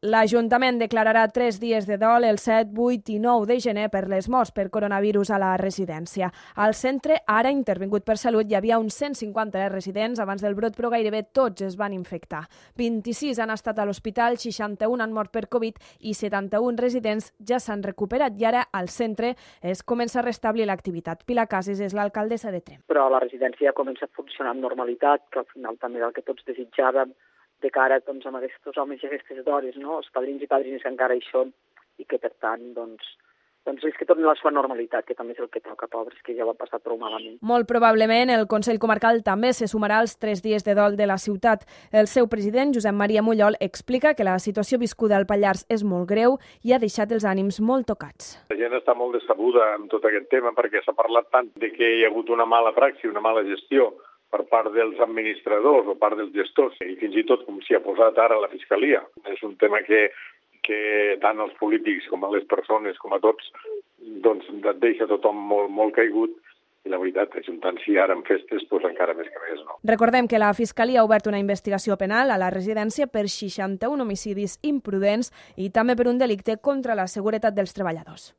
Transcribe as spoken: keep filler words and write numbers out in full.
L'Ajuntament declararà tres dies de dol el set, vuit i nou de gener per les morts per coronavirus a la residència. Al centre, ara intervingut per Salut, hi havia uns cent cinquanta residents abans del brot, però gairebé tots es van infectar. vint-i-sis han estat a l'hospital, seixanta-un han mort per Covid i setanta-un residents ja s'han recuperat i ara al centre es comença a restablir l'activitat. Pilar Cases és l'alcaldessa de Tremp. Però la residència comença a funcionar amb normalitat, que al final també és el que tots desitjàvem, de cara doncs, amb aquests homes i aquestes dones, no? Els padrins i padrines que encara hi són i que, per tant, doncs, doncs és que tornin a la seva normalitat, que també és el que toca, pobres, que ja ho han passat prou malament. Molt probablement el Consell Comarcal també se sumarà als tres dies de dol de la ciutat. El seu president, Josep Maria Mullol, explica que la situació viscuda al Pallars és molt greu i ha deixat els ànims molt tocats. La gent està molt decebuda amb tot aquest tema perquè s'ha parlat tant de que hi ha hagut una mala praxi, una mala gestió per part dels administradors o part dels gestors, i fins i tot com s'hi ha posat ara la Fiscalia. És un tema que, que tant els polítics com a les persones, com a tots, doncs et deixa tothom molt, molt caigut, i la veritat, ajuntant-s'hi ara en festes, doncs encara més que més, no? Recordem que la Fiscalia ha obert una investigació penal a la residència per seixanta-un homicidis imprudents i també per un delicte contra la seguretat dels treballadors.